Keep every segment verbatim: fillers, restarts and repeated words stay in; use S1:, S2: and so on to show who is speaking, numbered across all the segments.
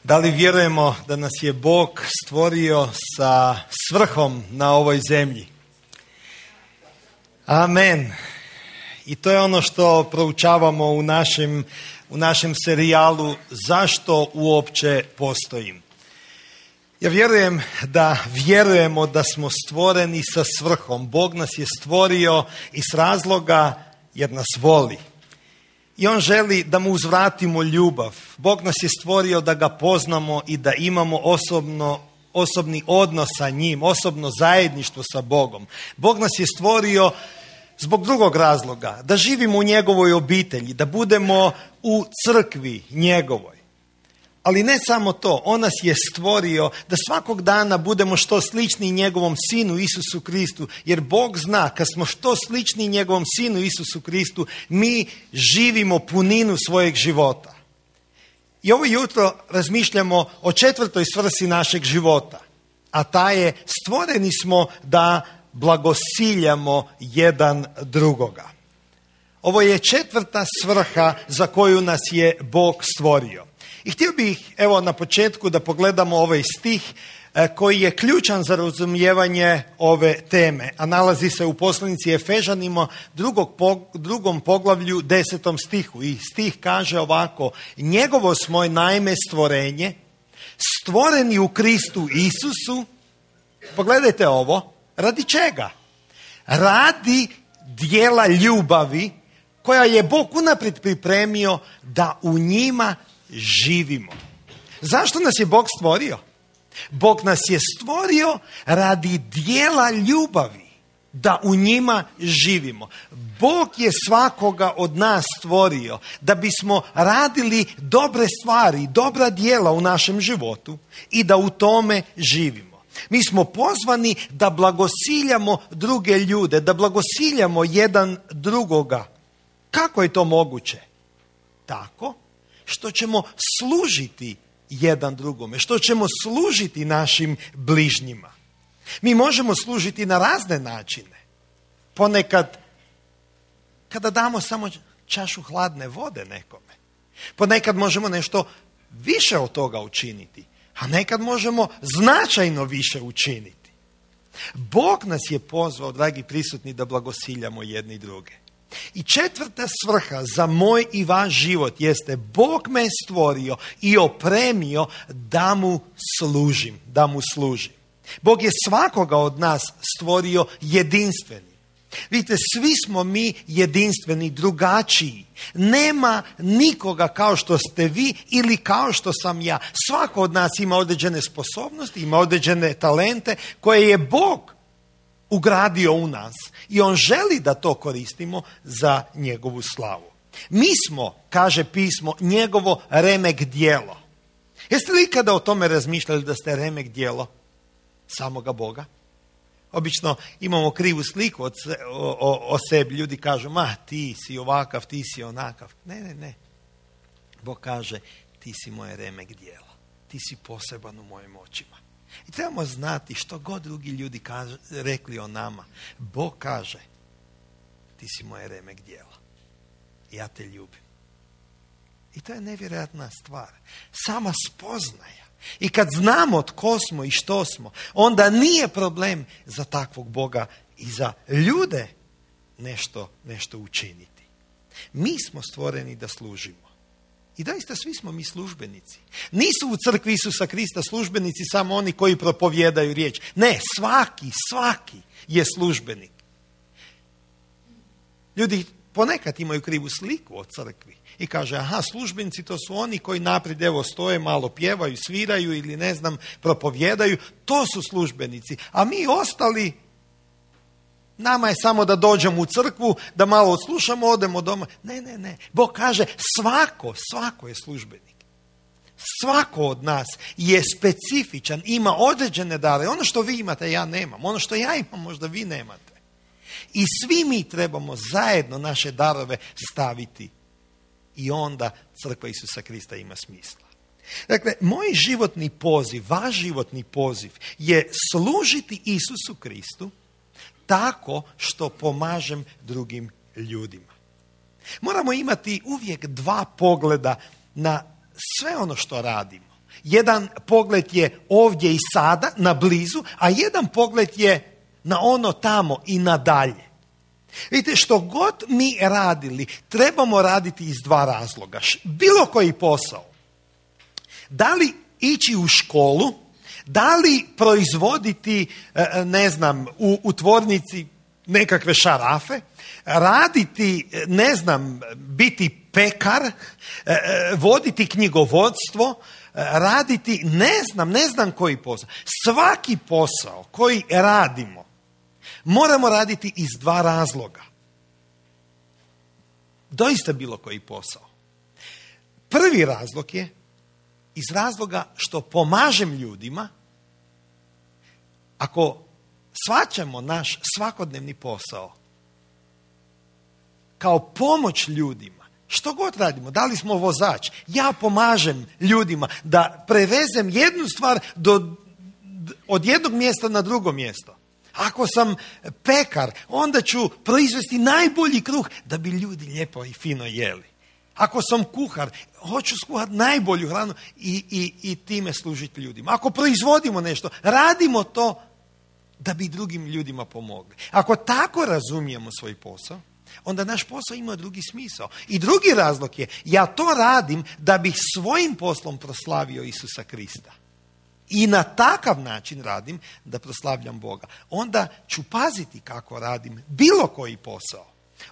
S1: Da li vjerujemo da nas je Bog stvorio sa svrhom na ovoj zemlji? Amen. I to je ono što proučavamo u našem, u našem serijalu Zašto uopće postojim. Ja vjerujem da vjerujemo da smo stvoreni sa svrhom. Bog nas je stvorio iz razloga jer nas voli. I on želi da mu uzvratimo ljubav. Bog nas je stvorio da ga poznamo i da imamo osobno, osobni odnos sa njim, osobno zajedništvo sa Bogom. Bog nas je stvorio zbog drugog razloga, da živimo u njegovoj obitelji, da budemo u crkvi njegovoj. Ali ne samo to, on nas je stvorio da svakog dana budemo što slični njegovom sinu Isusu Kristu, jer Bog zna kad smo što slični njegovom sinu Isusu Kristu, mi živimo puninu svojeg života. I ovo jutro razmišljamo o četvrtoj svrsi našeg života, a ta je stvoreni smo da blagosiljamo jedan drugoga. Ovo je četvrta svrha za koju nas je Bog stvorio. I htio bih, evo na početku, da pogledamo ovaj stih koji je ključan za razumijevanje ove teme, a nalazi se u poslanici Efežanima drugog, drugom poglavlju desetom stihu. I stih kaže ovako: njegovo smo naime stvorenje, stvoreni u Kristu Isusu. Pogledajte ovo, radi čega? Radi dijela ljubavi koja je Bog unaprijed pripremio da u njima živimo. Zašto nas je Bog stvorio? Bog nas je stvorio radi dijela ljubavi, da u njima živimo. Bog je svakoga od nas stvorio da bismo radili dobre stvari, dobra djela u našem životu i da u tome živimo. Mi smo pozvani da blagosiljamo druge ljude, da blagosiljamo jedan drugoga. Kako je to moguće? Tako što ćemo služiti jedan drugome, što ćemo služiti našim bližnjima. Mi možemo služiti na razne načine. Ponekad kada damo samo čašu hladne vode nekome. Ponekad možemo nešto više od toga učiniti, a nekad možemo značajno više učiniti. Bog nas je pozvao, dragi prisutni, da blagosiljamo jedni druge. I četvrta svrha za moj i vaš život jeste: Bog me stvorio i opremio da mu služim, da mu služim. Bog je svakoga od nas stvorio jedinstveni. Vidite, svi smo mi jedinstveni, drugačiji. Nema nikoga kao što ste vi ili kao što sam ja. Svako od nas ima određene sposobnosti, ima određene talente koje je Bog ugradio u nas i on želi da to koristimo za njegovu slavu. Mi smo, kaže pismo, njegovo remek djelo. Jeste li ikada o tome razmišljali da ste remek djelo samoga Boga? Obično imamo krivu sliku o, o, o sebi. Ljudi kažu: ma ti si ovakav, ti si onakav. Ne, ne, ne. Bog kaže: ti si moje remek djelo. Ti si poseban u mojim očima. I trebamo znati što god drugi ljudi kaže, rekli o nama. Bog kaže: ti si moje remek djela. Ja te ljubim. I to je nevjerojatna stvar. Sama spoznaja. I kad znamo tko smo i što smo, onda nije problem za takvog Boga i za ljude nešto, nešto učiniti. Mi smo stvoreni da služimo. I doista svi smo mi službenici. Nisu u crkvi Isusa Krista službenici samo oni koji propovijedaju riječ. Ne, svaki, svaki je službenik. Ljudi ponekad imaju krivu sliku o crkvi i kaže: aha, službenici to su oni koji naprijed evo stoje, malo pjevaju, sviraju ili ne znam, propovijedaju. To su službenici. A mi ostali, nama je samo da dođemo u crkvu, da malo odslušamo, odemo doma. Ne, ne, ne. Bog kaže: svako, svako je službenik. Svako od nas je specifičan, ima određene dare. Ono što vi imate, ja nemam. Ono što ja imam, možda vi nemate. I svi mi trebamo zajedno naše darove staviti. I onda crkva Isusa Krista ima smisla. Dakle, moj životni poziv, vaš životni poziv je služiti Isusu Kristu tako što pomažem drugim ljudima. Moramo imati uvijek dva pogleda na sve ono što radimo. Jedan pogled je ovdje i sada, na blizu, a jedan pogled je na ono tamo i nadalje. Vidite, što god mi radili, trebamo raditi iz dva razloga. Bilo koji posao. Da li ići u školu, da li proizvoditi, ne znam, u, u tvornici nekakve šarafe, raditi, ne znam, biti pekar, voditi knjigovodstvo, raditi, ne znam, ne znam koji posao. Svaki posao koji radimo, moramo raditi iz dva razloga. Doista bilo koji posao. Prvi razlog je iz razloga što pomažem ljudima. Ako shvaćamo naš svakodnevni posao kao pomoć ljudima, što god radimo, da li smo vozač, ja pomažem ljudima da prevezem jednu stvar do, od jednog mjesta na drugo mjesto. Ako sam pekar, onda ću proizvesti najbolji kruh da bi ljudi lijepo i fino jeli. Ako sam kuhar, hoću skuhati najbolju hranu i, i, i time služiti ljudima. Ako proizvodimo nešto, radimo to da bi drugim ljudima pomogli. Ako tako razumijemo svoj posao, onda naš posao ima drugi smisao. I drugi razlog je, ja to radim da bih svojim poslom proslavio Isusa Krista. I na takav način radim da proslavljam Boga. Onda ću paziti kako radim bilo koji posao.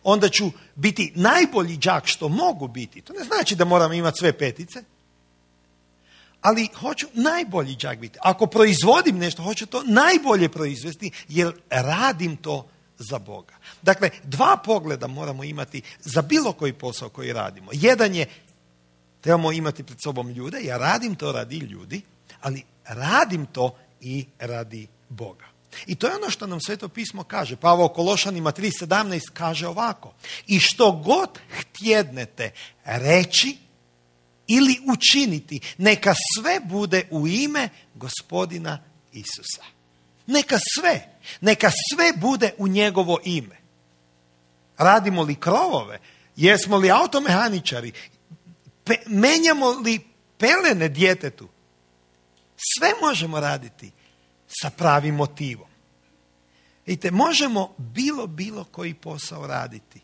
S1: Onda ću biti najbolji đak što mogu biti. To ne znači da moram imati sve petice, ali hoću najbolji đak biti. Ako proizvodim nešto, hoću to najbolje proizvesti jer radim to za Boga. Dakle, dva pogleda moramo imati za bilo koji posao koji radimo. Jedan je, trebamo imati pred sobom ljude, ja radim to radi ljudi, ali radim to i radi Boga. I to je ono što nam Sveto pismo kaže. Pavao Kološanima tri sedamnaest kaže ovako: i što god htjednete reći ili učiniti, neka sve bude u ime Gospodina Isusa. Neka sve, neka sve bude u njegovo ime. Radimo li krovove, jesmo li automehaničari, pe, menjamo li pelene djetetu, sve možemo raditi sa pravim motivom. Vidite, možemo bilo, bilo koji posao raditi,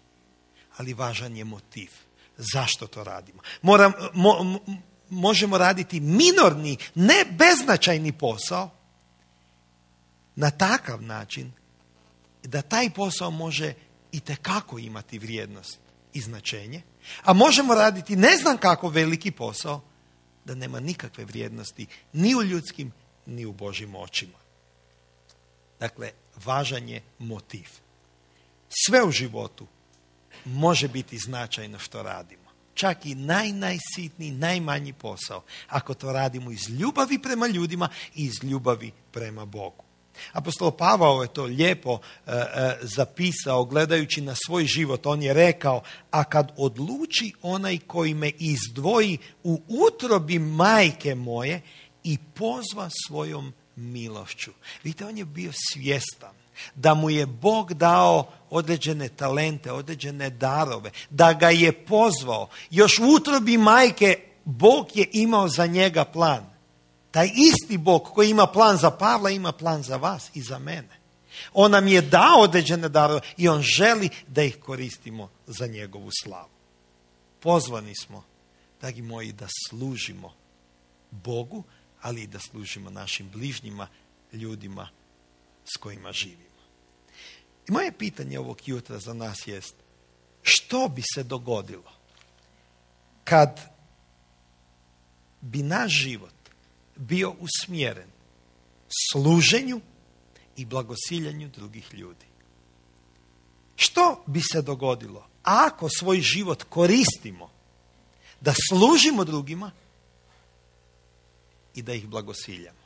S1: ali važan je motiv. Zašto to radimo? Moram, mo, možemo raditi minorni, ne beznačajni posao na takav način da taj posao može itekako imati vrijednost i značenje, a možemo raditi ne znam kako veliki posao da nema nikakve vrijednosti ni u ljudskim ni u Božjim očima. Dakle, važan je motiv. Sve u životu može biti značajno što radimo. Čak i naj, najsitniji, najmanji posao, ako to radimo iz ljubavi prema ljudima i iz ljubavi prema Bogu. Apostol Pavao je to lijepo e, e, zapisao gledajući na svoj život. On je rekao: a kad odluči onaj koji me izdvoji u utrobi majke moje i pozva svojom milošću. Vidite, on je bio svjestan da mu je Bog dao određene talente, određene darove, da ga je pozvao. Još u utrobi majke Bog je imao za njega plan. Taj isti Bog koji ima plan za Pavla, ima plan za vas i za mene. On nam je dao određene darove i on želi da ih koristimo za njegovu slavu. Pozvani smo, dragi moji, da služimo Bogu, ali i da služimo našim bližnjima, ljudima s kojima živimo. I moje pitanje ovog jutra za nas jest: što bi se dogodilo kad bi naš život bio usmjeren služenju i blagosiljanju drugih ljudi? Što bi se dogodilo ako svoj život koristimo da služimo drugima i da ih blagosiljamo?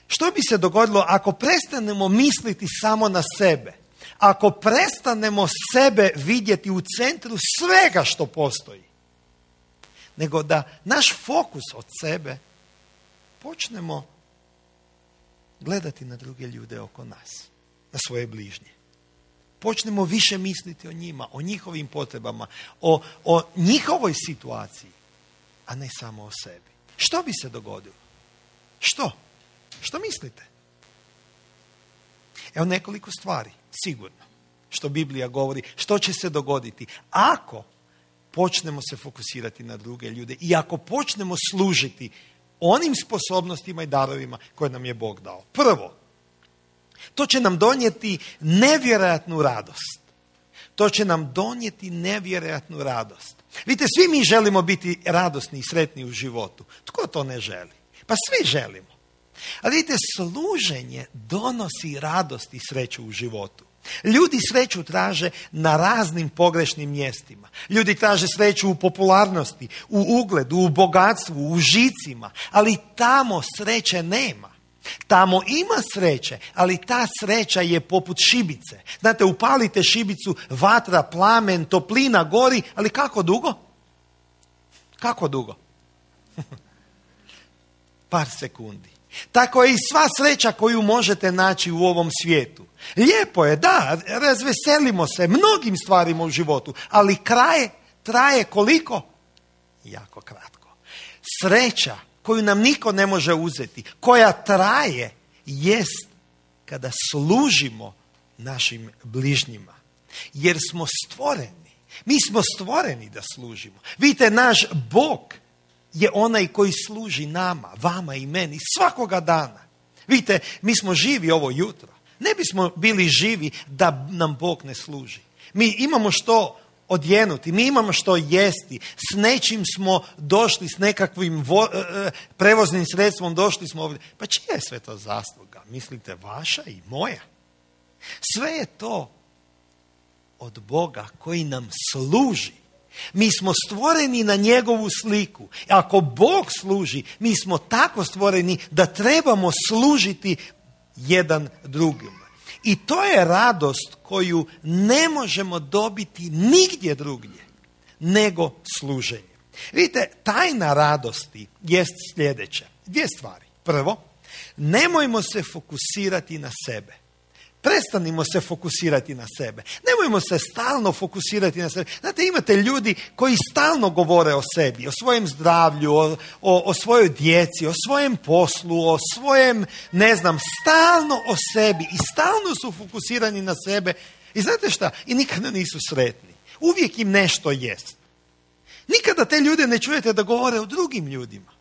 S1: Što bi se dogodilo ako prestanemo misliti samo na sebe? Ako prestanemo sebe vidjeti u centru svega što postoji? Nego da naš fokus od sebe počnemo gledati na druge ljude oko nas, na svoje bližnje. Počnemo više misliti o njima, o njihovim potrebama, o, o njihovoj situaciji, a ne samo o sebi. što bi se dogodilo? Što? Što mislite? Evo nekoliko stvari, sigurno, što Biblija govori, što će se dogoditi ako počnemo se fokusirati na druge ljude i ako počnemo služiti onim sposobnostima i darovima koje nam je Bog dao. Prvo, to će nam donijeti nevjerojatnu radost. To će nam donijeti nevjerojatnu radost. Vidite, svi mi želimo biti radosni i sretni u životu. Tko to ne želi? Pa svi želimo. Ali vidite, služenje donosi radost i sreću u životu. Ljudi sreću traže na raznim pogrešnim mjestima. Ljudi traže sreću u popularnosti, u ugledu, u bogatstvu, u užicima. Ali tamo sreće nema. Tamo ima sreće, ali ta sreća je poput šibice. Znate, upalite šibicu, vatra, plamen, toplina gori, ali kako dugo? Kako dugo? Par sekundi. Tako je i sva sreća koju možete naći u ovom svijetu. Lijepo je, da, razveselimo se mnogim stvarima u životu, ali kraj traje koliko? Jako kratko. Sreća koju nam niko ne može uzeti, koja traje, jest kada služimo našim bližnjima. Jer smo stvoreni. Mi smo stvoreni da služimo. Vidite, naš Bog je onaj koji služi nama, vama i meni, svakoga dana. Vidite, mi smo živi ovo jutro. Ne bismo bili živi da nam Bog ne služi. Mi imamo što odjenuti, mi imamo što jesti, s nečim smo došli, s nekakvim vo, e, prevoznim sredstvom došli smo ovdje. Pa čija je sve to zasluga? Mislite, vaša i moja? Sve je to od Boga koji nam služi. Mi smo stvoreni na njegovu sliku. Ako Bog služi, mi smo tako stvoreni da trebamo služiti jedan drugim. I to je radost koju ne možemo dobiti nigdje drugdje nego služenje. Vidite, tajna radosti jest sljedeća. Dvije stvari. Prvo, nemojmo se fokusirati na sebe. Prestanimo se fokusirati na sebe. Nemojmo se stalno fokusirati na sebe. Znate, imate ljudi koji stalno govore o sebi, o svojem zdravlju, o, o, o svojoj djeci, o svojem poslu, o svojem, ne znam, stalno o sebi i stalno su fokusirani na sebe. I znate šta? I nikada nisu sretni. Uvijek im nešto jest. Nikada te ljude ne čujete da govore o drugim ljudima.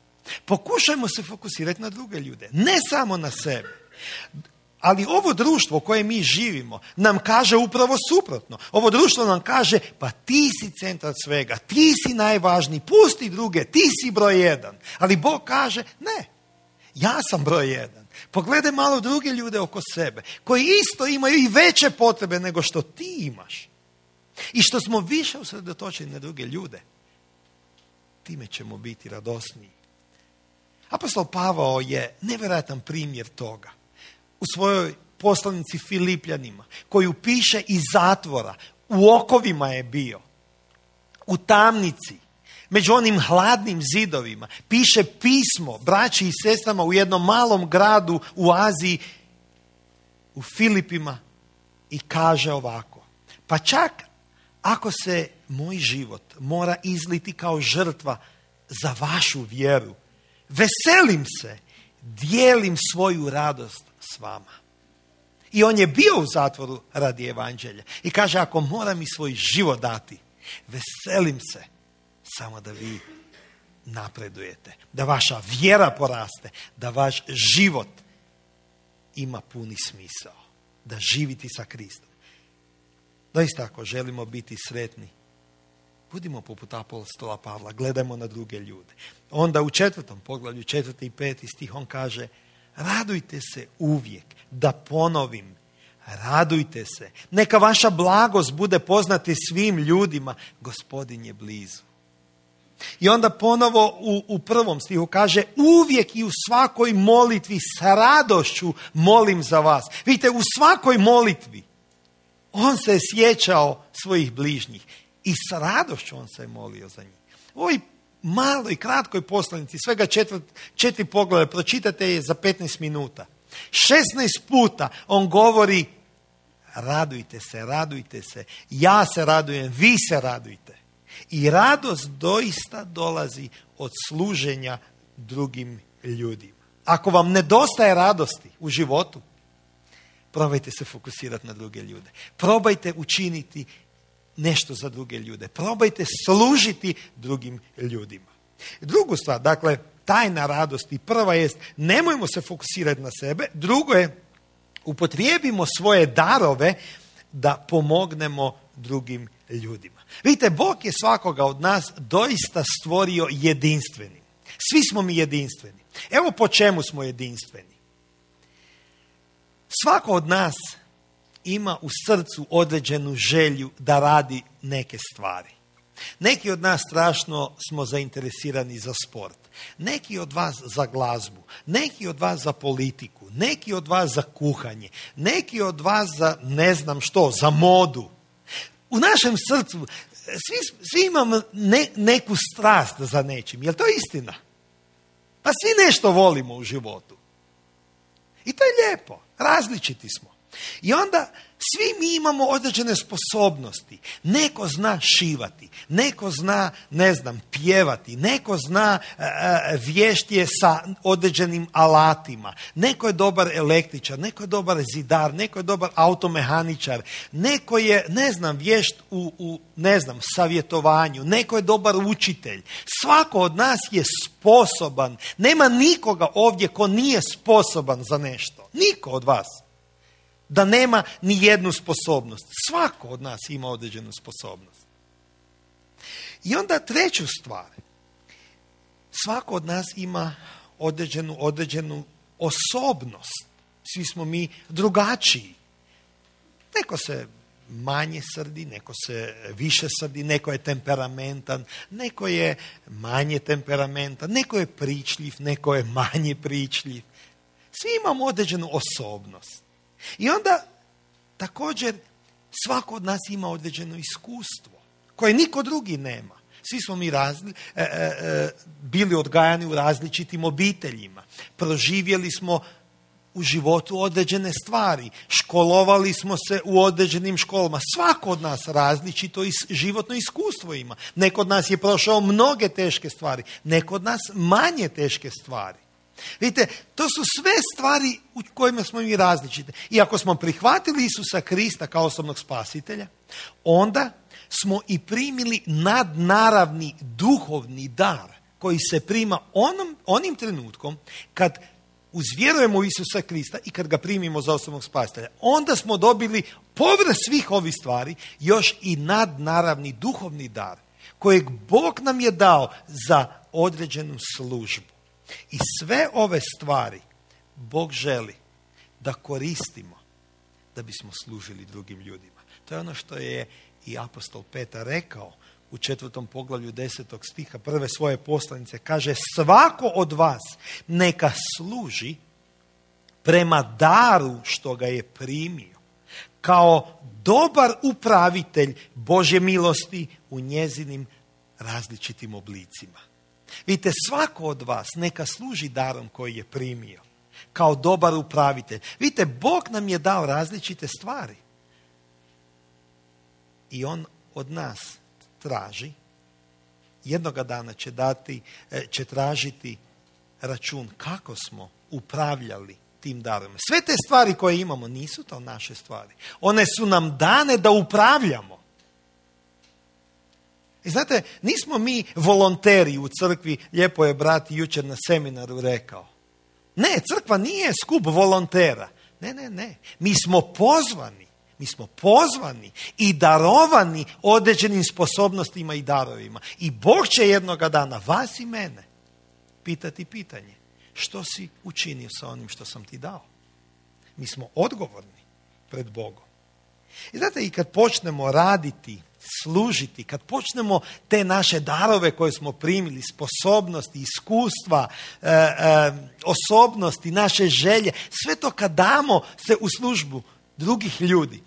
S1: Pokušajmo se fokusirati na druge ljude, ne samo na sebe. Ali ovo društvo koje mi živimo nam kaže upravo suprotno. Ovo društvo nam kaže, pa ti si centar svega, ti si najvažniji, pusti druge, ti si broj jedan. Ali Bog kaže, ne, ja sam broj jedan. Pogledaj malo druge ljude oko sebe, koji isto imaju i veće potrebe nego što ti imaš. I što smo više usredotočeni na druge ljude, time ćemo biti radosniji. Apostol Pavao je nevjerojatan primjer toga. U svojoj poslanici Filipljanima, koju piše iz zatvora, u okovima je bio, u tamnici, među onim hladnim zidovima, piše pismo braći i sestrama u jednom malom gradu u Aziji, u Filipima, i kaže ovako: pa čak ako se moj život mora izliti kao žrtva za vašu vjeru, veselim se, dijelim svoju radost s vama. I on je bio u zatvoru radi evanđelja. I kaže, ako moram i svoj život dati, veselim se samo da vi napredujete, da vaša vjera poraste, da vaš život ima puni smisao, da živite sa Kristom. Doista, ako želimo biti sretni, budimo poput apostola Pavla, gledajmo na druge ljude. Onda u četvrtom poglavlju, četvrti i peti stih, on kaže: radujte se uvijek, da ponovim, radujte se. Neka vaša blagost bude poznati svim ljudima, Gospodin je blizu. I onda ponovo u, u prvom stihu kaže: uvijek i u svakoj molitvi s radošću molim za vas. Vidite, u svakoj molitvi on se je sjećao svojih bližnjih i s radošću on se je molio za njih. U ovoj maloj, kratkoj poslanici, svega četvrt, četiri pogleda, pročitate je za petnaest minuta. šesnaest puta on govori: radujte se, radujte se, ja se radujem, vi se radujte. I radost doista dolazi od služenja drugim ljudima. Ako vam nedostaje radosti u životu, probajte se fokusirati na druge ljude. Probajte učiniti nešto za druge ljude. Probajte služiti drugim ljudima. Drugu stvar, dakle, tajna radosti. Prva jest, nemojmo se fokusirati na sebe. Drugo je, upotrijebimo svoje darove da pomognemo drugim ljudima. Vidite, Bog je svakoga od nas doista stvorio jedinstvenim. Svi smo mi jedinstveni. Evo po čemu smo jedinstveni. Svako od nas ima u srcu određenu želju da radi neke stvari. Neki od nas strašno smo zainteresirani za sport. Neki od vas za glazbu. Neki od vas za politiku. Neki od vas za kuhanje. Neki od vas za ne znam što, za modu. U našem srcu svi, svi imamo ne, neku strast za nečim. Je li to istina? Pa svi nešto volimo u životu. I to je lijepo. Različiti smo. I onda svi mi imamo određene sposobnosti. Neko zna šivati, neko zna, ne znam, pjevati, neko zna e, vješt je sa određenim alatima, neko je dobar električar, neko je dobar zidar, neko je dobar automehaničar, neko je, ne znam, vješt u, u ne znam, savjetovanju, neko je dobar učitelj. Svako od nas je sposoban. Nema nikoga ovdje ko nije sposoban za nešto. Niko od vas. Da nema ni jednu sposobnost. Svako od nas ima određenu sposobnost. I onda treću stvar. Svako od nas ima određenu, određenu osobnost. Svi smo mi drugačiji. Neko se manje srdi, neko se više srdi, neko je temperamentan, neko je manje temperamentan, neko je pričljiv, neko je manje pričljiv. Svi imamo određenu osobnost. I onda također svako od nas ima određeno iskustvo koje niko drugi nema. Svi smo mi razli, e, e, bili odgajani u različitim obiteljima. Proživjeli smo u životu određene stvari. Školovali smo se u određenim školama. Svako od nas različito is, životno iskustvo ima. Neko od nas je prošao mnoge teške stvari. Neko od nas manje teške stvari. Vidite, to su sve stvari u kojima smo mi različite. I ako smo prihvatili Isusa Krista kao osobnog spasitelja, onda smo i primili nadnaravni duhovni dar koji se prima onom, onim trenutkom kad uzvjerujemo u Isusa Krista i kad ga primimo za osobnog spasitelja. Onda smo dobili povrh svih ovih stvari još i nadnaravni duhovni dar kojeg Bog nam je dao za određenu službu. I sve ove stvari Bog želi da koristimo da bismo služili drugim ljudima. To je ono što je i apostol Petar rekao u četvrtom poglavlju desetog stiha prve svoje poslanice. Kaže, svako od vas neka služi prema daru što ga je primio, kao dobar upravitelj Božje milosti u njezinim različitim oblicima. Vidite, svako od vas neka služi darom koji je primio, kao dobar upravitelj. Vidite, Bog nam je dao različite stvari. I on od nas traži, jednoga dana će dati, će tražiti račun kako smo upravljali tim darom. Sve te stvari koje imamo nisu to naše stvari. One su nam dane da upravljamo. I znate, nismo mi volonteri u crkvi, lijepo je brat jučer na seminaru rekao. Ne, crkva nije skup volontera. Ne, ne, ne. Mi smo pozvani. Mi smo pozvani i darovani određenim sposobnostima i darovima. I Bog će jednoga dana vas i mene pitati pitanje. Što si učinio sa onim što sam ti dao? Mi smo odgovorni pred Bogom. I znate, i kad počnemo raditi, služiti, kad počnemo te naše darove koje smo primili, sposobnosti, iskustva, e, e, osobnosti, naše želje, sve to kad damo se u službu drugih ljudi,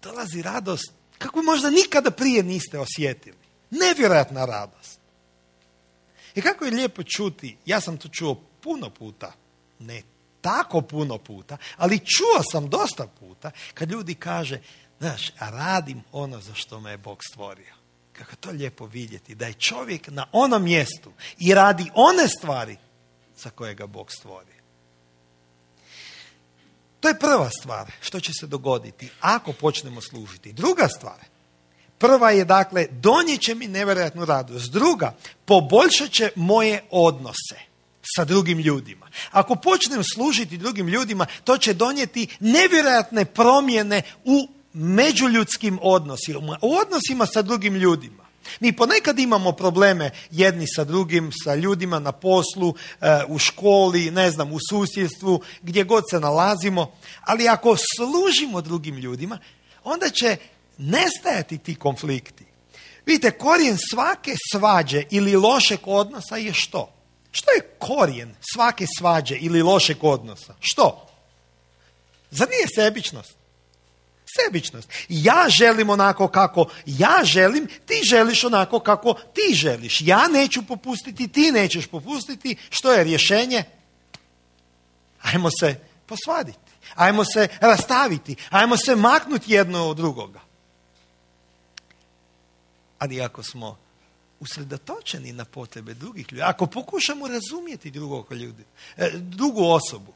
S1: dolazi radost kako možda nikada prije niste osjetili. Nevjerojatna radost. I kako je lijepo čuti, ja sam to čuo puno puta, ne tako puno puta, ali čuo sam dosta puta kad ljudi kaže, znaš, a radim ono za što me je Bog stvorio. Kako to lijepo vidjeti, da je čovjek na onom mjestu i radi one stvari za kojega Bog stvori. To je prva stvar što će se dogoditi ako počnemo služiti. Druga stvar, prva je dakle, donijet će mi nevjerojatnu radost. Druga, poboljšat će moje odnose sa drugim ljudima. Ako počnem služiti drugim ljudima, to će donijeti nevjerojatne promjene u međuljudskim odnosima, u odnosima sa drugim ljudima. Mi ponekad imamo probleme jedni sa drugim, sa ljudima na poslu, u školi, ne znam, u susjedstvu, gdje god se nalazimo, ali ako služimo drugim ljudima, onda će nestajati ti konflikti. Vidite, korijen svake svađe ili lošeg odnosa je što? Što je korijen svake svađe ili lošeg odnosa? Što? Zar nije sebičnost? Sebičnost. Ja želim onako kako ja želim, ti želiš onako kako ti želiš. Ja neću popustiti, ti nećeš popustiti. Što je rješenje? Ajmo se posvaditi. Ajmo se rastaviti. Ajmo se maknuti jedno od drugoga. Ali ako smo usredotočeni na potrebe drugih ljudi, ako pokušamo razumjeti drugog ljudi, drugu osobu,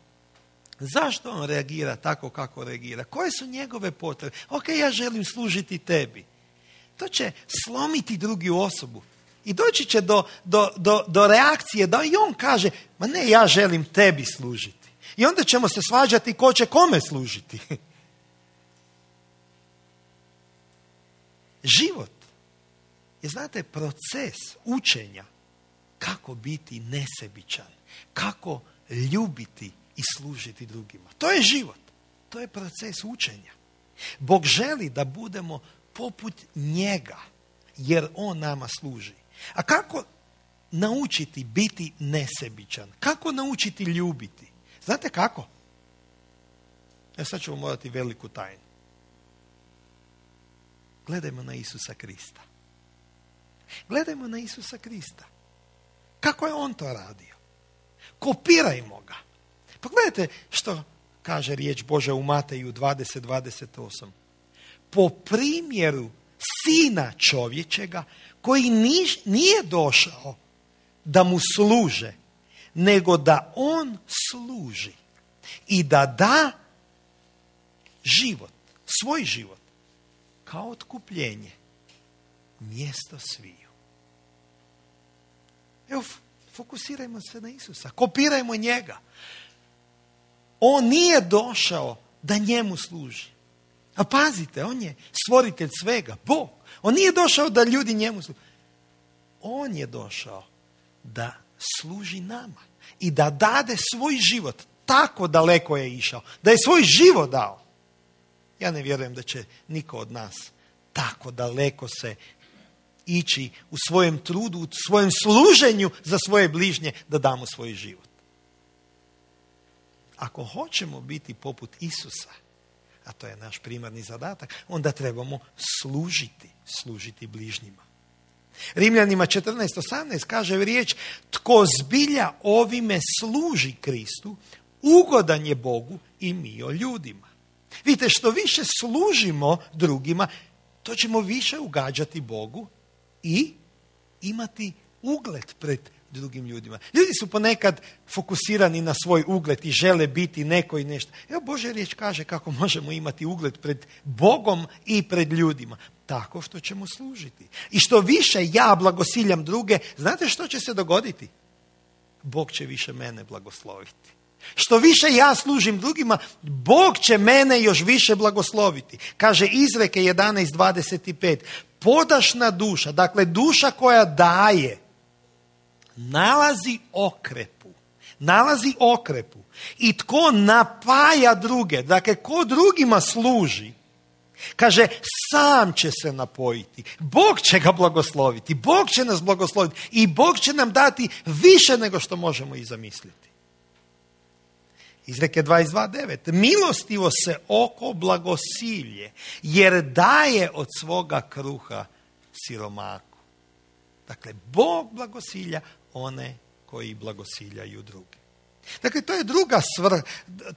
S1: zašto on reagira tako kako reagira? Koje su njegove potrebe? Ok, ja želim služiti tebi. To će slomiti drugu osobu. I doći će do, do, do, do reakcije da i on kaže, ma ne, ja želim tebi služiti. I onda ćemo se svađati ko će kome služiti. Život je, znate, proces učenja kako biti nesebičan, kako ljubiti i služiti drugima. To je život. To je proces učenja. Bog želi da budemo poput njega, jer on nama služi. A kako naučiti biti nesebičan? Kako naučiti ljubiti? Znate kako? Ja sad ću vam morati veliku tajnu. Gledajmo na Isusa Krista. Gledajmo na Isusa Krista. Kako je on to radio? Kopirajmo ga. Pogledajte što kaže riječ Božja u Mateju dvadeset dvadeset osam. Po primjeru sina čovječega koji nije došao da mu služe, nego da on služi i da da život, svoj život, kao otkupljenje, mjesto sviju. Evo, fokusirajmo se na Isusa, kopirajmo njega. On nije došao da njemu služi. A pazite, on je stvoritelj svega, Bog. On nije došao da ljudi njemu služi. On je došao da služi nama i da dade svoj život. Tako daleko je išao, da je svoj život dao. Ja ne vjerujem da će niko od nas tako daleko se ići u svojem trudu, u svojem služenju za svoje bližnje, da damo svoj život. Ako hoćemo biti poput Isusa, a to je naš primarni zadatak, onda trebamo služiti, služiti bližnjima. Rimljanima četrnaest osamnaest kaže riječ, tko zbilja ovime služi Kristu, ugodan je Bogu i mi o ljudima. Vidite, što više služimo drugima, to ćemo više ugađati Bogu i imati ugled pred drugim ljudima. Ljudi su ponekad fokusirani na svoj ugled i žele biti neko i nešto. Evo, Božja riječ kaže kako možemo imati ugled pred Bogom i pred ljudima. Tako što ćemo služiti. I što više ja blagosiljam druge, znate što će se dogoditi? Bog će više mene blagosloviti. Što više ja služim drugima, Bog će mene još više blagosloviti. Kaže Izreke jedanaest dvadeset pet. Podašna duša, dakle duša koja daje, nalazi okrepu. Nalazi okrepu. I tko napaja druge, dakle ko drugima služi, kaže, sam će se napojiti. Bog će ga blagosloviti. Bog će nas blagosloviti. I Bog će nam dati više nego što možemo i zamisliti. Izreke dvadeset dva devet. Milostivo se oko blagosilje, jer daje od svoga kruha siromaku. Dakle, Bog blagosilja one koji blagosiljaju druge. Dakle, to je druga stvar,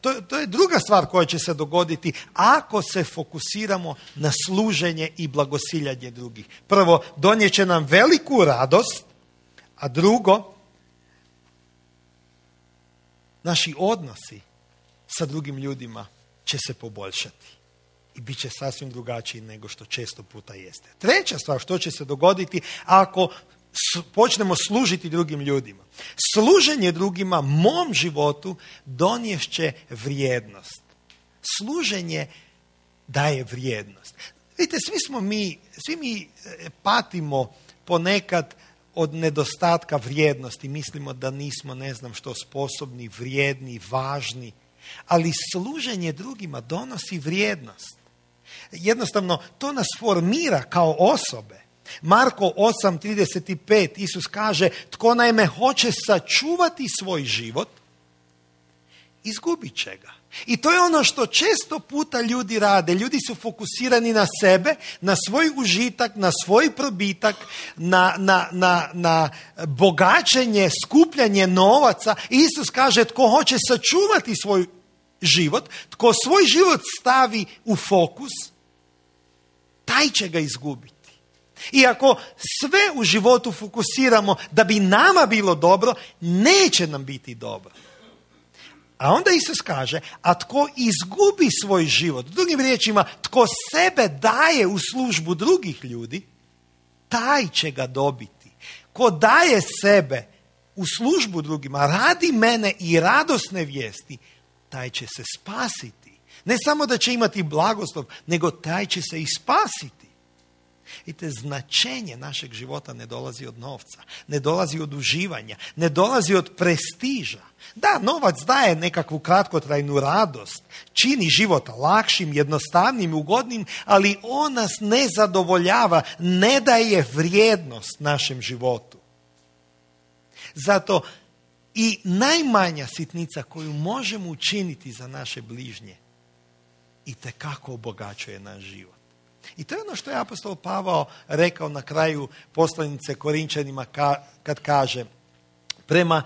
S1: to, to je druga stvar koja će se dogoditi ako se fokusiramo na služenje i blagosiljanje drugih. Prvo, donijet će nam veliku radost, a drugo, naši odnosi sa drugim ljudima će se poboljšati i bit će sasvim drugačiji nego što često puta jeste. Treća stvar, što će se dogoditi ako počnemo služiti drugim ljudima. Služenje drugima mom životu doniješće vrijednost. Služenje daje vrijednost. Vidite, svi smo mi, svi mi patimo ponekad od nedostatka vrijednosti. Mislimo da nismo ne znam što sposobni, vrijedni, važni. Ali služenje drugima donosi vrijednost. Jednostavno, to nas formira kao osobe. Marko osam trideset pet, Isus kaže, tko naime hoće sačuvati svoj život, izgubit će ga. I to je ono što često puta ljudi rade. Ljudi su fokusirani na sebe, na svoj užitak, na svoj probitak, na, na, na, na bogaćenje, skupljanje novaca. Isus kaže, tko hoće sačuvati svoj život, tko svoj život stavi u fokus, taj će ga izgubiti. I ako sve u životu fokusiramo da bi nama bilo dobro, neće nam biti dobro. A onda Isus kaže, a tko izgubi svoj život, drugim riječima, tko sebe daje u službu drugih ljudi, taj će ga dobiti. Ko daje sebe u službu drugima, radi mene i radosne vijesti, taj će se spasiti. Ne samo da će imati blagoslov, nego taj će se i spasiti. Vidite, značenje našeg života ne dolazi od novca, ne dolazi od uživanja, ne dolazi od prestiža. Da, novac daje nekakvu kratkotrajnu radost, čini život lakšim, jednostavnim, ugodnim, ali on nas ne zadovoljava, ne daje vrijednost našem životu. Zato i najmanja sitnica koju možemo učiniti za naše bližnje itekako obogaćuje naš život. I to je ono što je apostol Pavao rekao na kraju poslanice Korinčanima kad kaže, prema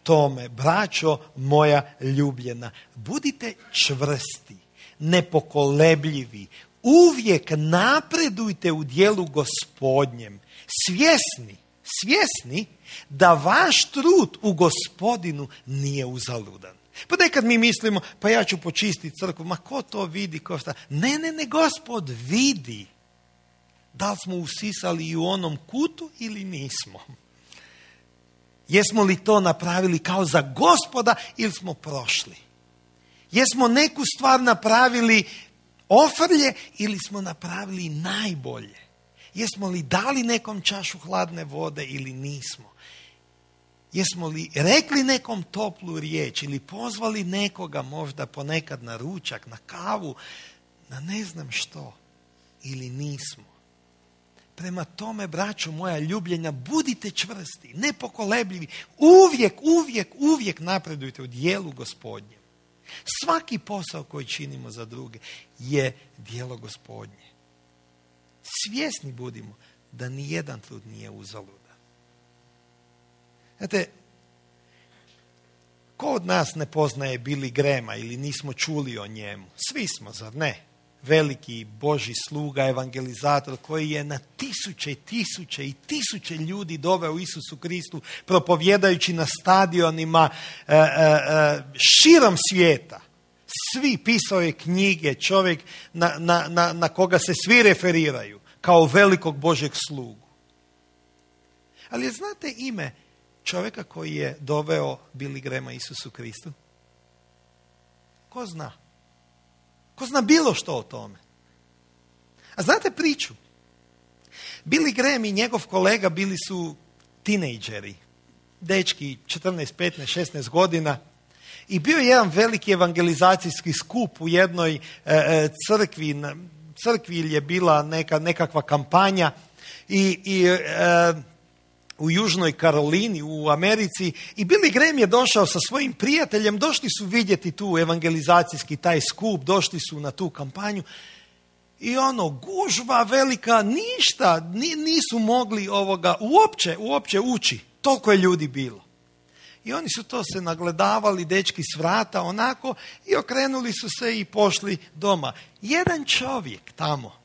S1: tome, braćo moja ljubljena, budite čvrsti, nepokolebljivi, uvijek napredujte u djelu Gospodnjem, svjesni, svjesni da vaš trud u Gospodinu nije uzaludan. Pa nekad mi mislimo, pa ja ću počistiti crkvu, ma ko to vidi, ko šta? Ne, ne, ne, Gospod vidi. Da li smo usisali i u onom kutu ili nismo? Jesmo li to napravili kao za Gospoda ili smo prošli? Jesmo neku stvar napravili ofrlje ili smo napravili najbolje? Jesmo li dali nekom čašu hladne vode ili nismo? Jesmo li rekli nekom toplu riječ ili pozvali nekoga možda ponekad na ručak, na kavu, na ne znam što, ili nismo? Prema tome, braćo moja ljubljenja, budite čvrsti, nepokolebljivi, uvijek, uvijek, uvijek napredujte u djelu Gospodnjem. Svaki posao koji činimo za druge je djelo Gospodnje. Svjesni budimo da ni jedan trud nije uzaludan. Znate, ko od nas ne poznaje Billy Grahama ili nismo čuli o njemu? Svi smo, zar ne? Veliki Božji sluga, evangelizator koji je na tisuće i tisuće i tisuće ljudi doveo Isusu Kristu propovjedajući na stadionima e, e, e, širom svijeta. Svi, pisao je knjige, čovjek na, na, na, na koga se svi referiraju kao velikog Božjeg slugu. Ali znate ime čovjeka koji je doveo Billy Grahama Isusu Kristu? Ko zna? Ko zna bilo što o tome? A znate priču? Billy Graham i njegov kolega bili su tinejdžeri, dečki četrnaest, petnaest, šesnaest godina, i bio je jedan veliki evangelizacijski skup u jednoj e, crkvi. Crkvi je bila neka, nekakva kampanja i, i e, u Južnoj Karolini, u Americi, i Billy Graham je došao sa svojim prijateljem, došli su vidjeti tu evangelizacijski taj skup, došli su na tu kampanju i ono, gužva velika, ništa, nisu mogli ovoga uopće, uopće ući, toliko je ljudi bilo. I oni su to se nagledavali, dečki s vrata, onako, i okrenuli su se i pošli doma. Jedan čovjek tamo,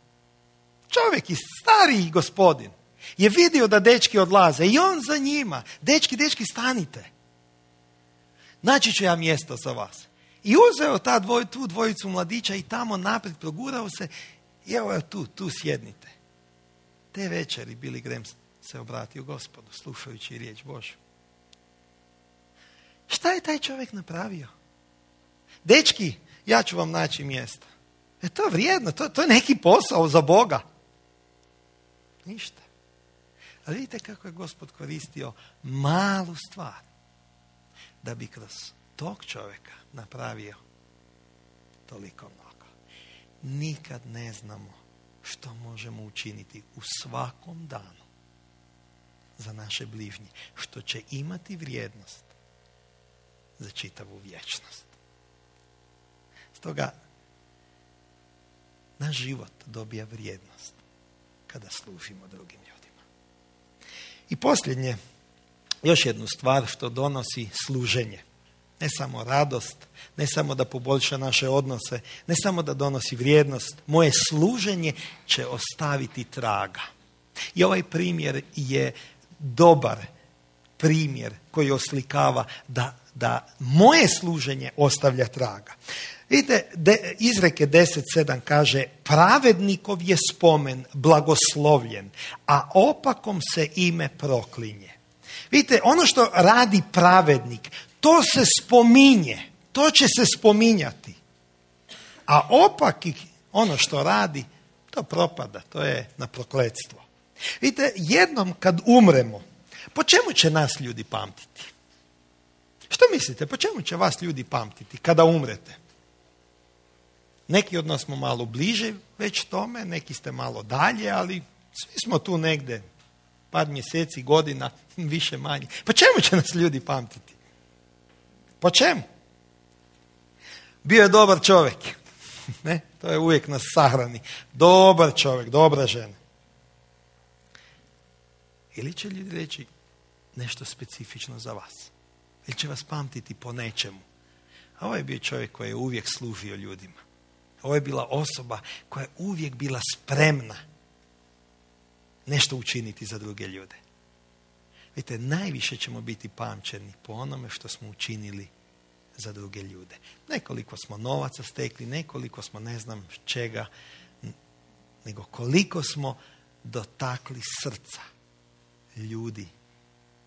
S1: čovjek, stariji gospodin, je vidio da dečki odlaze i on za njima. Dečki, dečki, stanite. naći ću ja mjesto za vas. I uzeo ta dvoj, tu dvojicu mladića i tamo naprijed progurao se i evo je tu, tu sjednite. Te večeri Billy Graham se obratio Gospodu, slušajući riječ Božju. Šta je taj čovjek napravio? Dečki, ja ću vam naći mjesto. E to je vrijedno, to, to je neki posao za Boga. Ništa. Ali vidite kako je Gospod koristio malu stvar da bi kroz tog čovjeka napravio toliko mnogo. Nikad ne znamo što možemo učiniti u svakom danu za naše bližnje, što će imati vrijednost za čitavu vječnost. Stoga naš život dobija vrijednost kada služimo drugim ljudima. I posljednje, još jednu stvar što donosi služenje. Ne samo radost, ne samo da poboljša naše odnose, ne samo da donosi vrijednost. Moje služenje će ostaviti traga. I ovaj primjer je dobar primjer koji oslikava da, da moje služenje ostavlja traga. Vidite, de, izreke deset sedam kaže, pravednikov je spomen blagoslovljen, a opakom se ime proklinje. Vidite, ono što radi pravednik, to se spominje, to će se spominjati. A opaki, ono što radi, to propada, to je na prokletstvo. Vidite, jednom kad umremo, po čemu će nas ljudi pamtiti? Što mislite, po čemu će vas ljudi pamtiti kada umrete? Neki od nas smo malo bliže već tome, neki ste malo dalje, ali svi smo tu negdje par mjeseci, godina, više manje. Po čemu će nas ljudi pamtiti? Po čemu? Bio je dobar čovjek. Ne? To je uvijek nas sahrani. Dobar čovjek, dobra žena. Ili će ljudi reći nešto specifično za vas? Ili će vas pamtiti po nečemu? A ovo je bio čovjek koji je uvijek služio ljudima. Ovo je bila osoba koja je uvijek bila spremna nešto učiniti za druge ljude. Vidite, najviše ćemo biti pamćeni po onome što smo učinili za druge ljude. Nekoliko smo novaca stekli, nekoliko smo ne znam čega, nego koliko smo dotakli srca ljudi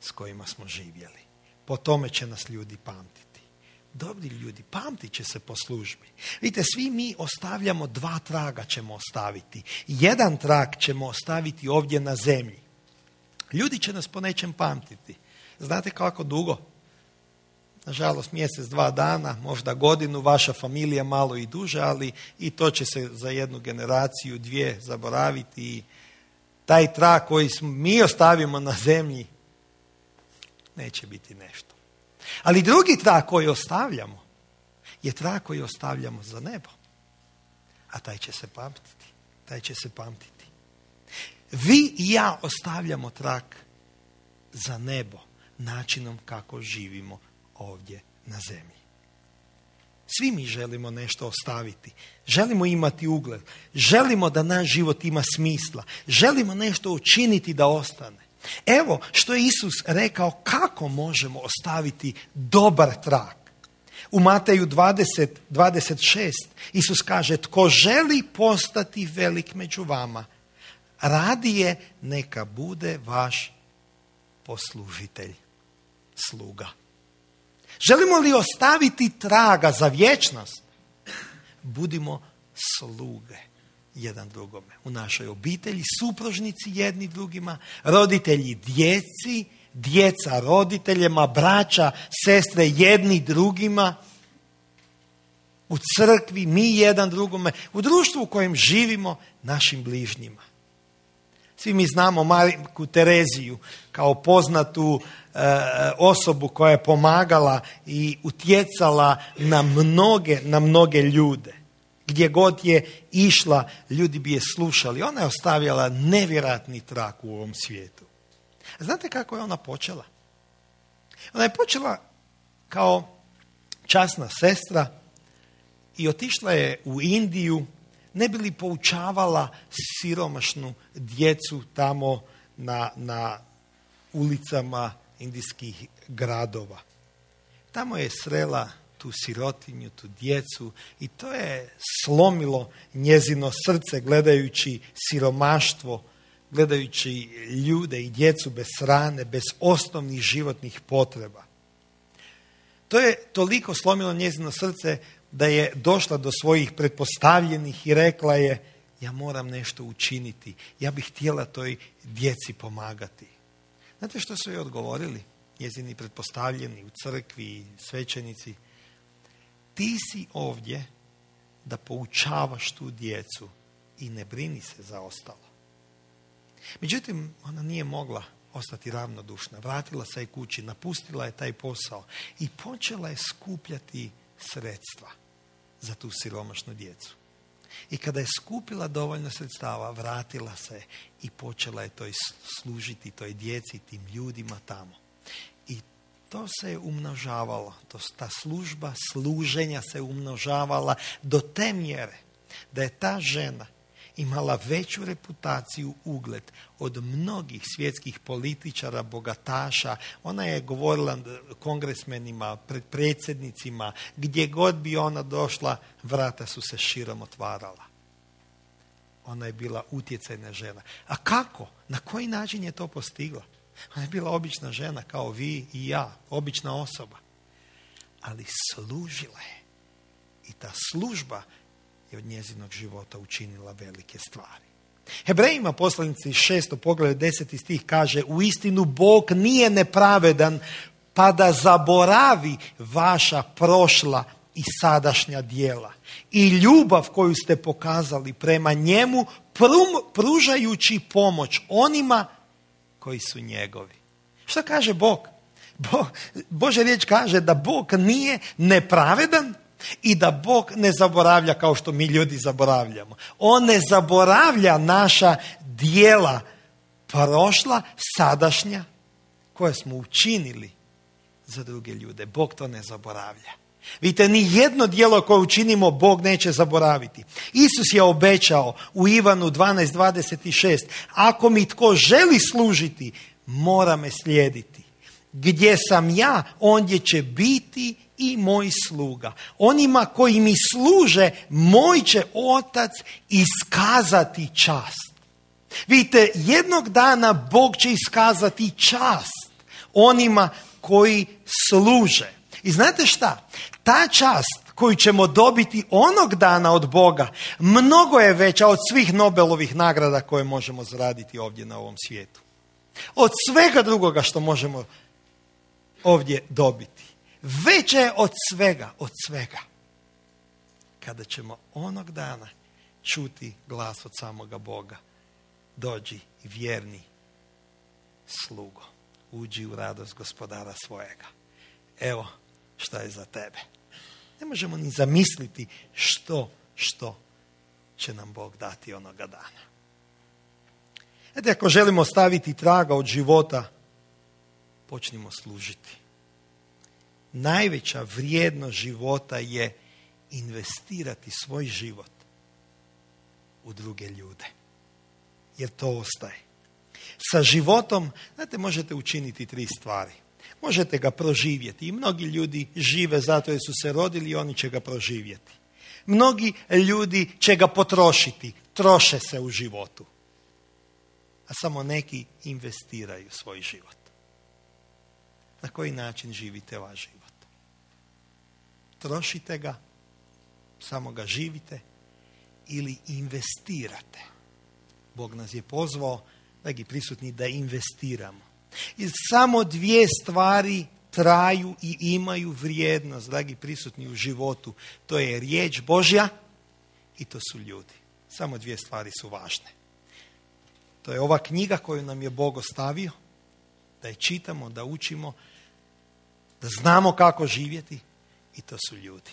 S1: s kojima smo živjeli. Po tome će nas ljudi pamtiti. Dobri ljudi, pamtit će se po službi. Vidite, svi mi ostavljamo dva traga ćemo ostaviti. Jedan trag ćemo ostaviti ovdje na zemlji. Ljudi će nas po nečem pamtiti. Znate kako dugo? Nažalost, mjesec, dva dana, možda godinu, vaša familija malo i duže, ali i to će se za jednu generaciju, dvije zaboraviti. I taj trag koji mi ostavimo na zemlji neće biti nešto. Ali drugi trag koji ostavljamo je trag koji ostavljamo za nebo. A taj će se pamtiti. Taj će se pamtiti. Vi i ja ostavljamo trag za nebo načinom kako živimo ovdje na zemlji. Svi mi želimo nešto ostaviti. Želimo imati ugled. Želimo da naš život ima smisla. Želimo nešto učiniti da ostane. Evo što je Isus rekao kako možemo ostaviti dobar trag. U Mateju dvadeset dvadeset šest Isus kaže, tko želi postati velik među vama, radije neka bude vaš poslužitelj, sluga. Želimo li ostaviti traga za vječnost? Budimo sluge jedan drugome. U našoj obitelji, supružnici jedni drugima, roditelji djeci, djeca roditeljima, braća, sestre jedni drugima, u crkvi, mi jedan drugome, u društvu u kojem živimo, našim bližnjima. Svi mi znamo Majku Tereziju kao poznatu e, osobu koja je pomagala i utjecala na mnoge, na mnoge ljude. Gdje god je išla, ljudi bi je slušali. Ona je ostavljala nevjerojatni trag u ovom svijetu. Znate kako je ona počela? Ona je počela kao časna sestra i otišla je u Indiju, ne bi li poučavala siromašnu djecu tamo na, na ulicama indijskih gradova. Tamo je srela tu sirotinju, tu djecu i to je slomilo njezino srce gledajući siromaštvo, gledajući ljude i djecu bez hrane, bez osnovnih životnih potreba. To je toliko slomilo njezino srce da je došla do svojih pretpostavljenih i rekla je: ja moram nešto učiniti, ja bih htjela toj djeci pomagati. Znate što su joj odgovorili njezini pretpostavljeni u crkvi, svećenici? Ti si ovdje da poučavaš tu djecu i ne brini se za ostalo. Međutim, ona nije mogla ostati ravnodušna. Vratila se je kući, napustila je taj posao i počela je skupljati sredstva za tu siromašnu djecu. I kada je skupila dovoljno sredstava, vratila se i počela je toj služiti toj djeci, tim ljudima tamo. I to se je umnožavalo, to, ta služba služenja se umnožavala do te mjere da je ta žena imala veću reputaciju, ugled od mnogih svjetskih političara, bogataša. Ona je govorila kongresmenima, pred predsjednicima, gdje god bi ona došla, vrata su se širom otvarala. Ona je bila utjecajna žena. A kako? Na koji način je to postigla? Ona je bila obična žena kao vi i ja, obična osoba. Ali služila je. I ta služba je od njezinog života učinila velike stvari. Hebrejima poslanici šesto poglavlje deseti stih kaže: u istinu Bog nije nepravedan pa da zaboravi vaša prošla i sadašnja djela i ljubav koju ste pokazali prema njemu, pružajući pomoć onima koji su njegovi. Što kaže Bog? Bo, Božja riječ kaže da Bog nije nepravedan i da Bog ne zaboravlja kao što mi ljudi zaboravljamo. On ne zaboravlja naša djela prošla, sadašnja, koje smo učinili za druge ljude. Bog to ne zaboravlja. Vidite, ni jedno djelo koje učinimo Bog neće zaboraviti. Isus je obećao u Ivanu dvanaest dvadeset šest: ako mi tko želi služiti, mora me slijediti. Gdje sam ja, ondje će biti i moj sluga. Onima koji mi služe, moj će Otac iskazati čast. Vidite, jednog dana Bog će iskazati čast onima koji služe. I znate šta? Ta čast koju ćemo dobiti onog dana od Boga mnogo je veća od svih Nobelovih nagrada koje možemo zaraditi ovdje na ovom svijetu. Od svega drugoga što možemo ovdje dobiti. Veća je od svega, od svega. Kada ćemo onog dana čuti glas od samoga Boga: dođi vjerni slugo, uđi u radost gospodara svojega. Evo šta je za tebe. Ne možemo ni zamisliti što, što će nam Bog dati onoga dana. Znate, ako želimo staviti traga od života, počnimo služiti. Najveća vrijednost života je investirati svoj život u druge ljude. Jer to ostaje. Sa životom, znate, možete učiniti tri stvari. Možete ga proživjeti. I mnogi ljudi žive zato jer su se rodili i oni će ga proživjeti. Mnogi ljudi će ga potrošiti. Troše se u životu. A samo neki investiraju svoj život. Na koji način živite vaš život? Trošite ga, samo ga živite ili investirate? Bog nas je pozvao, dragi prisutni, da investiramo. I samo dvije stvari traju i imaju vrijednost, dragi prisutni, u životu. To je riječ Božja i to su ljudi. Samo dvije stvari su važne. To je ova knjiga koju nam je Bog ostavio, da je čitamo, da učimo, da znamo kako živjeti, i to su ljudi.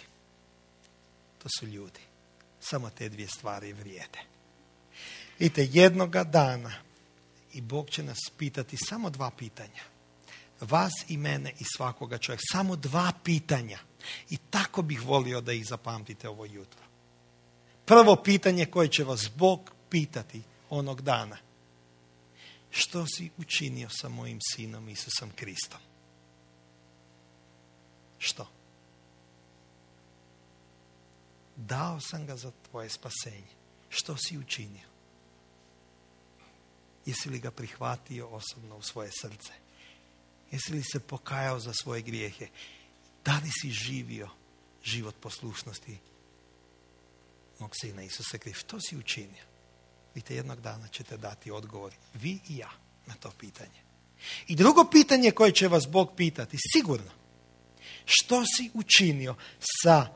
S1: To su ljudi. Samo te dvije stvari vrijede. Vidite, jednoga dana i Bog će nas pitati samo dva pitanja. Vas i mene i svakoga čovjeka. Samo dva pitanja. I tako bih volio da ih zapamtite ovo jutro. Prvo pitanje koje će vas Bog pitati onog dana: što si učinio sa mojim sinom Isusom Kristom? Što? Dao sam ga za tvoje spasenje. Što si učinio? Jesi li ga prihvatio osobno u svoje srce? Jesi li se pokajao za svoje grijehe? Da li si živio život poslušnosti mog sina Isusa Krista? Što si učinio? Vidite, jednog dana ćete dati odgovor, vi i ja, na to pitanje. I drugo pitanje koje će vas Bog pitati, sigurno, što si učinio sa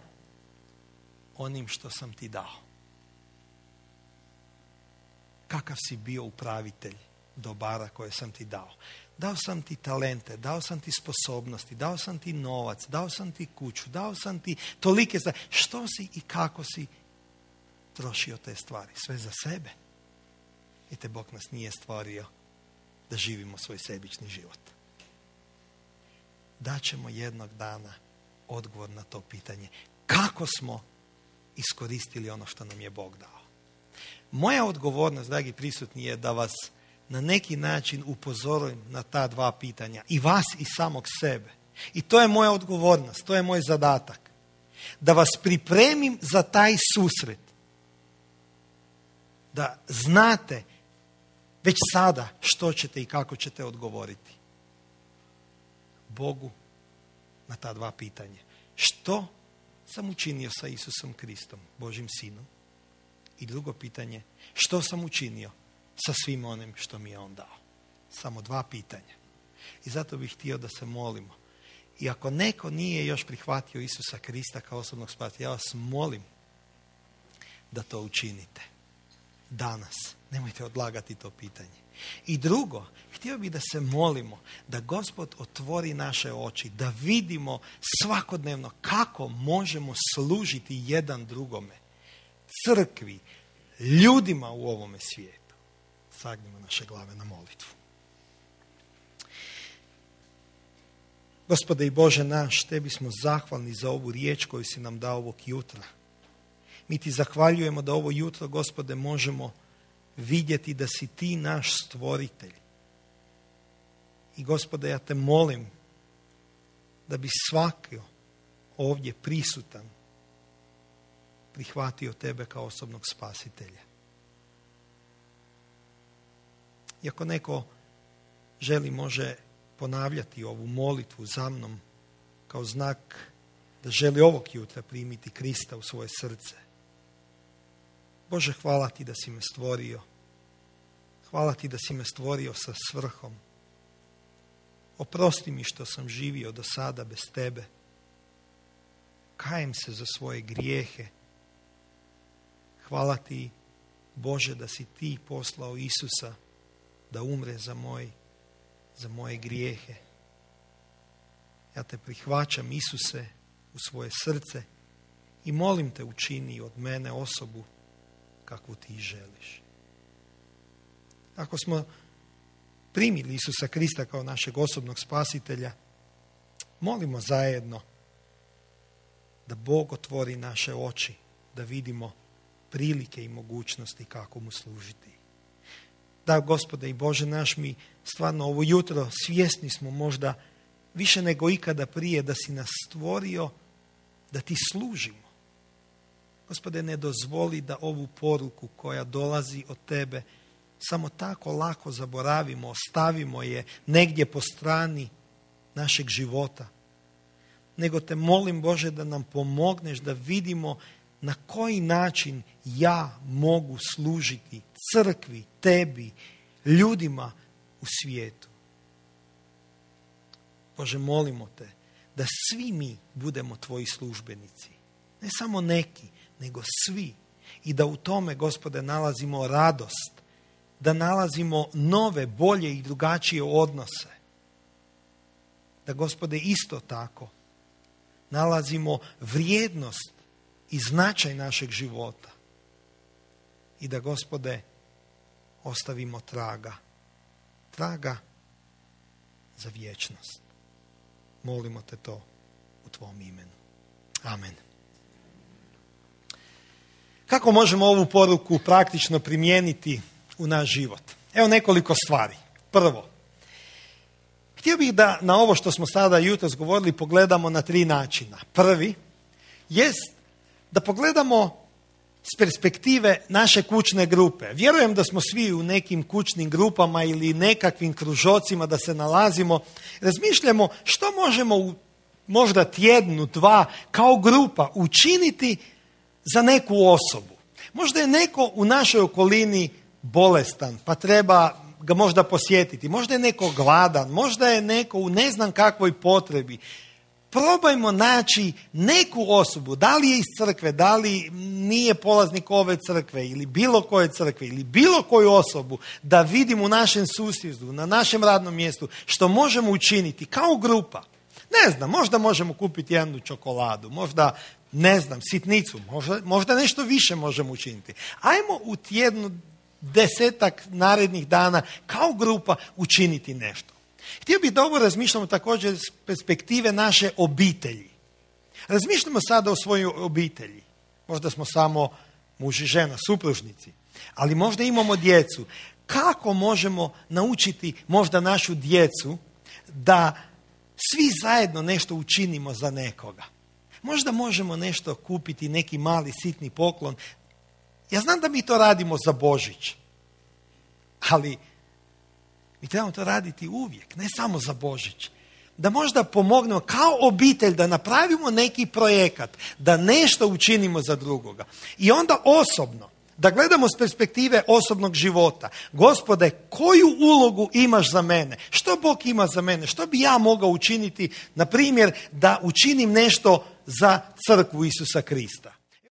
S1: onim što sam ti dao? Kakav si bio upravitelj dobara koje sam ti dao? Dao sam ti talente, dao sam ti sposobnosti, dao sam ti novac, dao sam ti kuću, dao sam ti tolike stvari. Što si i kako si trošio te stvari? Sve za sebe. I te Bog nas nije stvorio da živimo svoj sebični život. Daćemo jednog dana odgovor na to pitanje. Kako smo iskoristili ono što nam je Bog dao? Moja odgovornost, dragi prisutni, je da vas na neki način upozorim na ta dva pitanja. I vas i samog sebe. I to je moja odgovornost, to je moj zadatak. Da vas pripremim za taj susret. Da znate već sada što ćete i kako ćete odgovoriti Bogu na ta dva pitanja. Što sam učinio sa Isusom Kristom, Božim Sinom? I drugo pitanje, što sam učinio sa svim onim što mi je on dao? Samo dva pitanja. I zato bih htio da se molimo. I ako neko nije još prihvatio Isusa Krista kao osobnog spasitelja, ja vas molim da to učinite. Danas. Nemojte odlagati to pitanje. I drugo, htio bih da se molimo da Gospod otvori naše oči, da vidimo svakodnevno kako možemo služiti jedan drugome, crkvi, ljudima u ovome svijetu. Sagnimo naše glave na molitvu. Gospode i Bože naš, tebi smo zahvalni za ovu riječ koju si nam dao ovog jutra. Mi ti zahvaljujemo da ovo jutro, Gospode, možemo vidjeti da si ti naš stvoritelj. I Gospode, ja te molim da bi svaki ovdje prisutan prihvatio tebe kao osobnog spasitelja. I ako neko želi, može ponavljati ovu molitvu za mnom kao znak da želi ovog jutra primiti Krista u svoje srce. Bože, hvala ti da si me stvorio. Hvala ti da si me stvorio sa svrhom. Oprosti mi što sam živio do sada bez tebe. Kajem se za svoje grijehe. Hvala ti, Bože, da si ti poslao Isusa da umre za moj, za moje grijehe. Ja te prihvaćam, Isuse, u svoje srce i molim te, učini od mene osobu kakvu ti želiš. Ako smo primili Isusa Krista kao našeg osobnog spasitelja, molimo zajedno da Bog otvori naše oči, da vidimo prilike i mogućnosti kako mu služiti. Da, Gospode i Bože naš, mi stvarno ovo jutro svjesni smo možda više nego ikada prije da si nas stvorio da ti služimo. Gospode, ne dozvoli da ovu poruku koja dolazi od tebe samo tako lako zaboravimo, ostavimo je negdje po strani našeg života. Nego te molim, Bože, da nam pomogneš da vidimo na koji način ja mogu služiti crkvi, tebi, ljudima u svijetu. Bože, molimo te da svi mi budemo tvoji službenici. Ne samo neki, nego svi. I da u tome, Gospode, nalazimo radost, da nalazimo nove, bolje i drugačije odnose. Da, Gospode, isto tako nalazimo vrijednost i značaj našeg života. I da, Gospode, ostavimo traga. Traga za vječnost. Molimo te to u tvom imenu. Amen. Kako možemo ovu poruku praktično primijeniti u naš život? Evo nekoliko stvari. Prvo, Htio bih da na ovo što smo sada jutros govorili pogledamo na tri načina. Prvi jest da pogledamo s perspektive naše kućne grupe. Vjerujem da smo svi u nekim kućnim grupama ili nekakvim kružocima da se nalazimo. Razmišljamo što možemo u možda tjednu, dva, kao grupa učiniti za neku osobu. Možda je neko u našoj okolini bolestan, pa treba ga možda posjetiti. Možda je neko gladan, možda je neko u ne znam kakvoj potrebi. Probajmo naći neku osobu, da li je iz crkve, da li nije polaznik ove crkve ili bilo koje crkve ili bilo koju osobu, da vidimo u našem susjedstvu, na našem radnom mjestu što možemo učiniti kao grupa. Ne znam, možda možemo kupiti jednu čokoladu, možda, ne znam, sitnicu, možda, možda nešto više možemo učiniti. Ajmo u tjednu desetak narednih dana kao grupa učiniti nešto. Htio bih da ovo razmišljamo također s perspektive naše obitelji. Razmišljamo sada o svojoj obitelji. Možda smo samo muž i žena, supružnici, ali možda imamo djecu. Kako možemo naučiti možda našu djecu da svi zajedno nešto učinimo za nekoga? Možda možemo nešto kupiti, neki mali sitni poklon. Ja znam da mi to radimo za Božić, ali mi trebamo to raditi uvijek, ne samo za Božić. Da možda pomognemo kao obitelj da napravimo neki projekat, da nešto učinimo za drugoga. I onda osobno, da gledamo s perspektive osobnog života. Gospode, koju ulogu imaš za mene? Što Bog ima za mene? Što bi ja mogao učiniti, na primjer, da učinim nešto za crkvu Isusa Krista?